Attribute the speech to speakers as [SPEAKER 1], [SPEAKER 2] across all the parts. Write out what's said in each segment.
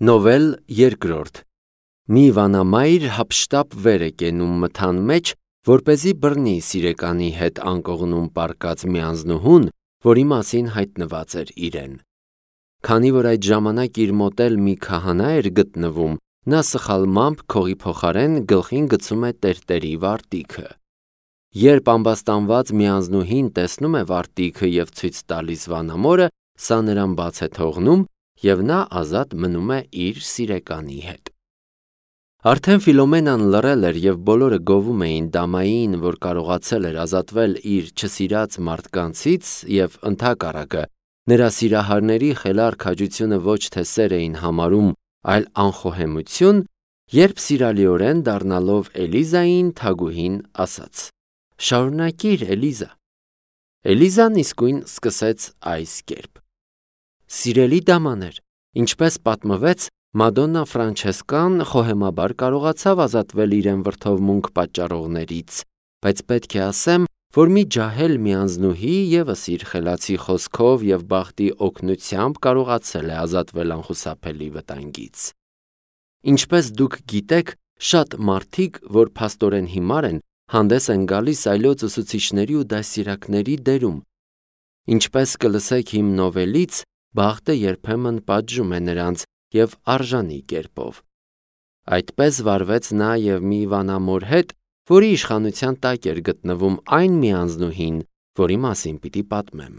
[SPEAKER 1] Նովել երկրորդ Մի վանամայր հափշտապ վեր է կենում մթան մեջ, որպեսզի բռնի սիրեկանի հետ անկողնում պառկած մի անձնուհուն, որի մասին հայտնված էր իրեն։ Քանի որ այդ ժամանակ իր մոտ էլ մի քահանա էր գտնվում, նա սխալմամբ քողի փոխարեն գլխին գցում է տերտերի վարտիքը։ Երբ ամբաստանված մի անձնուհին տեսնում է վարտիքը և ցույց տալիս վանամորը, սա նրան բաց է թողնում, և նա ազատ մնում է իր սիրեկանի հետ։ Արդեն Ֆիլոմենան լռել էր և բոլորը գովում էին դամային, որ կարողացել էր ազատվել իր չսիրած մարդկանցից և ընդհակառակը, նրա սիրահարների խելառ քաջությունը ոչ թե սեր էին համարում, այլ անխոհեմություն, երբ սիրալիորեն դառնալով Էլիզային, թագուհին ասաց. «Շարունակիր, Էլիզա»։ Էլիզան իսկույն սկսեց այս կերպ. «Սիրելի դամաներ, ինչպես պատմվեց, Մադոննա Ֆրանչեսկան խոհեմաբար կարողացավ ազատվել իրեն վրդովմունք պատճառողներից, բայց պետք է ասեմ, որ մի ջահել մի անձնուհի ևս իր խելացի խոսքով և բախտի օգնությամբ կարողացել է ազատվել անխուսափելի վտանգից։ Ինչպես դուք գիտեք, շատ մարդիկ, որ փաստորեն հիմար են, հանդես են գալիս այլոց ուսուցիչների ու դաստիարակների դերում։ Ինչպես կլսեք իմ նովելից, բախտը երբեմն պատժում է նրանց և արժանի կերպով։ Այդպես վարվեց նա և մի վանամոր հետ, որի իշխանության տակ էր գտնվում այն մի անձնուհին, որի մասին պիտի պատմեմ։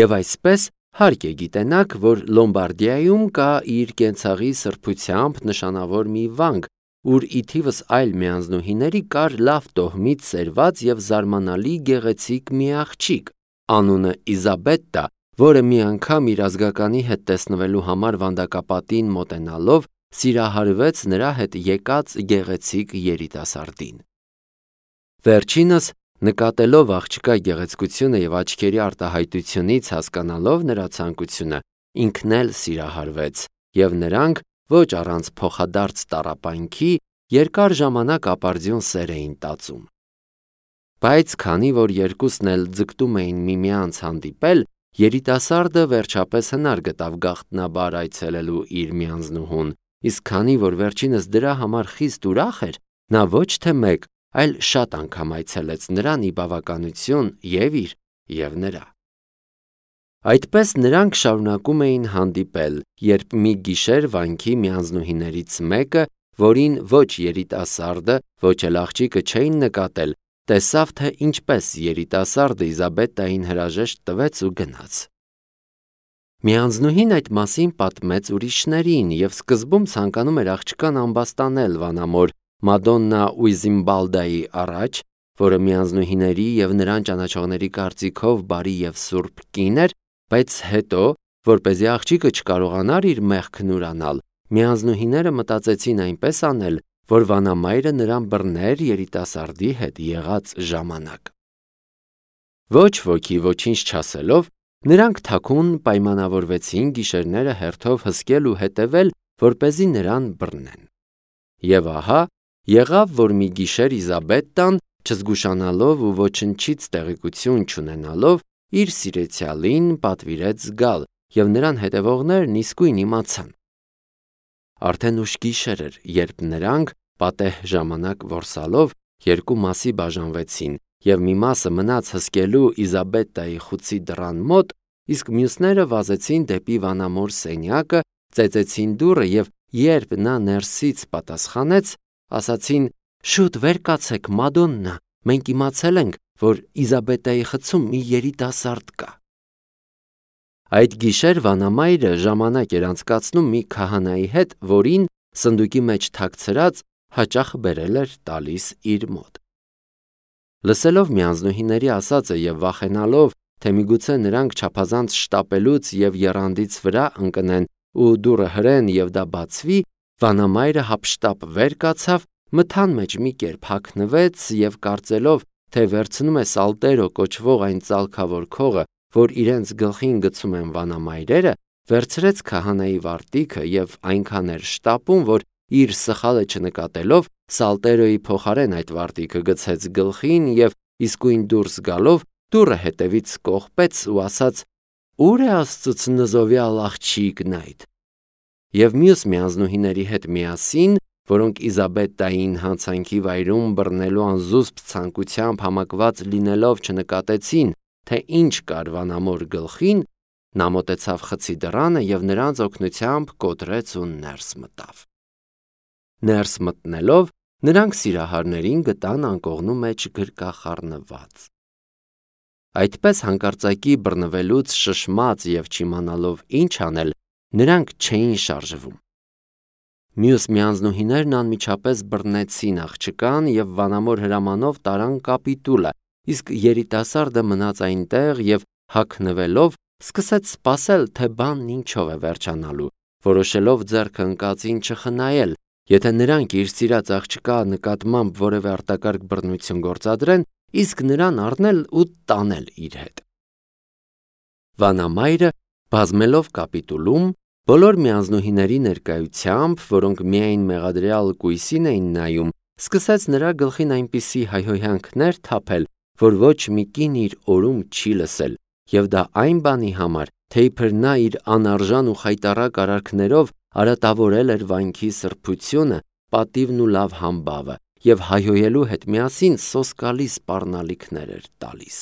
[SPEAKER 1] Եվ այսպես հարկ է գիտենաք, որ Լոմբարդիայում կա իր կենցաղի սրբությամբ նշանավոր մի վանք, ուր ի թիվս այլ մի անձնուհիների կար լավ տոհմից սերված և զարմանալի գեղեցիկ մի աղջիկ, անունը Իզաբետտա, որը մի անգամ իր ազգականի հետ տեսնվելու համար վանդակապատին մոտենալով սիրահարվեց նրա հետ եկած գեղեցիկ երիտասարդին։ Վերջինս, նկատելով աղջկա գեղեցկությունը և աչքերի արտահայտությունից հասկանալով նրա ցանկությունը, ինքն էլ սիրահարվեց, և նրանք, ոչ առանց փոխադարձ տառապանքի, երկար ժամանակ ապարդյուն սեր էին տածում։ Բայց քանի որ երկուսն էլ ձգտում էին միմյանց հանդիպել, երիտասարդը վերջապես հնար գտավ գաղտնաբար այցելելու իր մի անձնուհուն, իսկ քանի որ վերջինս դրա համար խիստ ուրախ էր, նա ոչ թե մեկ, այլ շատ անգամ այցելեց նրան ի բավականություն և իր, և նրա։ Այդպես նրանք շարունակում էին հանդիպել, երբ մի գիշեր վանքի մի անձնուհիներից մեկը, որին ոչ երիտասարդը, ոչ էլ աղջիկը չէին նկատել, տեսավ, թե ինչպես երիտասարդը Իզաբետտային հրաժեշտ տվեց ու գնաց։ Մի անձնուհին այդ մասին պատմեց ուրիշներին և սկզբում ցանկանում էր աղջկան ամբաստանել վանամոր Մադոննա Ուիզիմբալդայի առաջ, որը մի անձնուհիների և նրան ճանաչողների կարծիքով բարի և սուրբ կին էր, բայց հետո, որպեսզի աղջիկը չկարողանար իր մեղքն ուրանալ, մի անձնուհիները մտածեցին այնպես անել, որ վանամայրը նրան բռներ երիտասարդի հետ եղած ժամանակ։ Ոչ ոքի ոչինչ չասելով, նրանք թաքուն պայմանավորվեցին գիշերները հերթով հսկել ու հետևել, որպեսզի նրան բռնեն։ Եվ ահա, եղավ, որ մի գիշեր Իզաբետտան, չզգուշանալով ու ոչնչից տեղեկություն չունենալով, իր սիրեցյալին պատվիրեց գալ, և նրան հետևողներն իսկույն իմացան։ Արդեն ուշ գիշեր էր, երբ նրանք, պատեհ ժամանակ որսալով, երկու մասի բաժանվեցին, և մի մասը մնաց հսկելու Իզաբետտայի խուցի դռան մոտ, իսկ մյուսները վազեցին դեպի վանամոր սենյակը, ծեծեցին դուռը և երբ նա ներսից պատասխանեց, ասացին. «Շուտ վեր կացեք, Մադոննա, մենք իմացել ենք, որ Իզաբետտայի խցում մի երիտասարդ կա»։ Այդ գիշեր վանամայրը ժամանակ էր անցկացնում մի քահանայի հետ, որին, սնդուկի մեջ թաքցրած, հաճախ բերել էր տալիս իր մոտ։ Լսելով մի անձնուհիների ասածը և վախենալով, թե միգուցե նրանք չափազանց շտապելուց և եռանդից վրա ընկնեն ու դուռը հրեն և դա բացվի, վանամայրը հափշտապ վեր կացավ, մթան մեջ մի կերպ հագնվեց և կարծելով, թե վերցնում է Սալտերո կոչվող այն ծալքավոր քողը, որ իրենց գլխին գցում են վանամայրերը, վերցրեց քահանայի վարտիքը և այնքան էր շտապում, որ իր սխալը չնկատելով, Սալտերոյի փոխարեն այդ վարտիքը գցեց գլխին և իսկույն դուրս գալով, դուռը հետևից կողպեց ու ասաց. «Ո՞ւր է Աստծուց նզովյալ աղջիկն այդ»։ և մյուս միանձնուհիների հետ միասին, որոնք Իզաբետային հանցանքի վայրում բռնելու անզուսպ ցանկությամբ համակված լինելով չնկատեցին, թե ինչ կար վանամոր գլխին, նա մոտեցավ խցի դռանը և նրանց օգնությամբ կոտրեց ու ներս մտավ։ Ներս մտնելով, նրանք սիրահարներին գտան անկողնու մեջ գրկախառնված։ Այդպես հանկարծակի բռնվելուց շշմած և չիմանալով ինչ անել, նրանք չէին շարժվում։ Մյուս միանձնուհիներն անմիջապես բռնեցին աղջկան և վանամոր հրամանով տարան կապիտուլը, իսկ երիտասարդը մնաց այնտեղ և հագնվելով սկսեց սպասել, թե բանն ինչով է վերջանալու, որոշելով ձեռքը ընկածին չխնայել, եթե նրանք իր սիրած աղջկա նկատմամբ որևէ արտակարգ բռնություն գործադրեն, իսկ նրան առնել ու տանել իր հետ։ Վանամայրը, բազմելով կապիտուլում, բոլոր միանձնուհիների ներկայությամբ, որոնք միայն մեղադրյալ կույսին էին նայում, սկսեց նրա գլխին այնպիսի հայհոյանքներ թափել, որ ոչ մի կին իր օրում չի լսել, և դա այն բանի համար, թե իբր նա իր անարժան ու խայտառակ արարքներով արատավորել էր վանքի սրբությունը, պատիվն ու լավ համբավը և հայհոյելու հետ միասին սոսկալի սպառնալիքներ էր տալիս։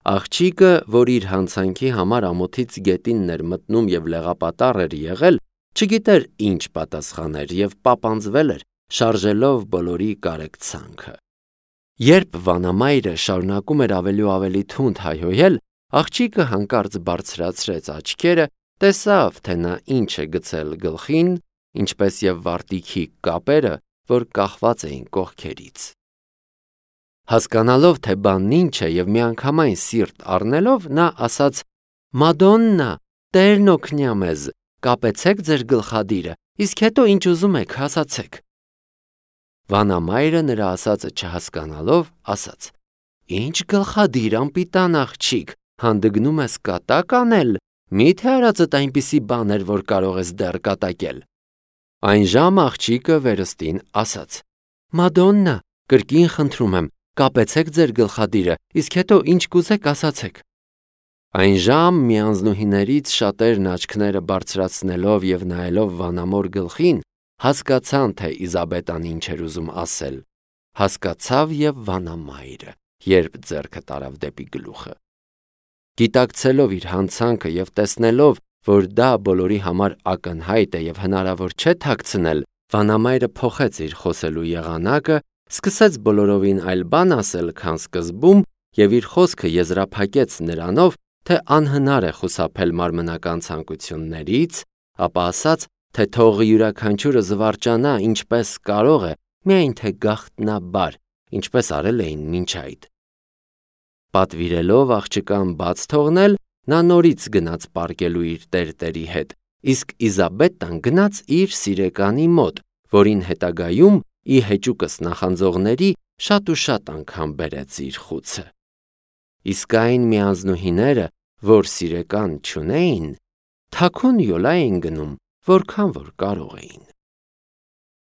[SPEAKER 1] Աղջիկը, որ իր հանցանքի համար ամոթից գետինն էր մտնում և լեղապատառ էր եղել, չգիտեր ինչ պատասխաներ և պապանձվել էր, շարժելով բոլորի կարեկցանքը։ Երբ վանամայրը շարունակում էր ավելի ու ավելի թունդ հայհոյել, աղջիկը հանկարծ բարձրացրեց աչքերը, տեսավ, թե նա ինչ է գցել գլխին, ինչպես և վարտիքի կապերը, որ կախված էին կողքերից։ Հասկանալով, թե բանն ինչ է և միանգամայն սիրտ առնելով, նա ասաց. «Մադոննա, Տերն օգնյա մեզ, կապեցեք ձեր գլխադիրը, իսկ հետո ինչ ուզում եք, ասացեք»։ Վանամայրը նրա ասածը չհասկանալով, ասաց. «Ինչ գլխադիր, անպիտան աղջիկ, հանդգնում ես կատակ անել, մի՞թե արածդ այնպիսի բան էր, որ կարող ես դեռ կատակել»։ Այն ժամ աղջիկը վերստին ասաց. «Մադոննա, կրկին խնդրում եմ, կապեցեք ձեր գլխադիրը, իսկ հետո ինչ կուզեք, ասացեք»։ Այն ժամ միանձնուհիներից շատերն աչքները բարձրացնելով և նայելով վանամոր գլխին, հասկացան, թե Իզաբետան ինչ էր ուզում ասել։ Հասկացավ և վանամայրը, երբ ձեռքը տարավ դեպի գլուխը։ Գիտակցելով իր հանցանքը և տեսնելով, որ դա բոլորի համար ակնհայտ է և հնարավոր չէ թաքցնել, վանամայրը փոխեց իր խոսելու եղանակը, սկսեց բոլորովին այլ բան ասել, քան սկզբում, և իր խոսքը եզրափակեց նրանով, թե անհնար է խուսափել մարմնական ցանկություններից, ապա ասաց, թե թող յուրաքանչյուրը զվարճանա ինչպես կարող է, միայն թե գաղտնաբար, ինչպես արել էին մինչ այդ։ Պատվիրելով աղջկան բաց թողնել, նա նորից գնաց պարկելու իր տերտերի հետ, իսկ Իզաբետան գնաց իր սիրեկանի մոտ, որին հետագայում ի հեճուկս նախանձողների շատ ու շատ անգամ բերեց իր խուցը։ Իսկ այն միանձնուհիները, որ սիրեկան չունեին, թաքուն յոլա էին գնում, որքան որ կարող էին։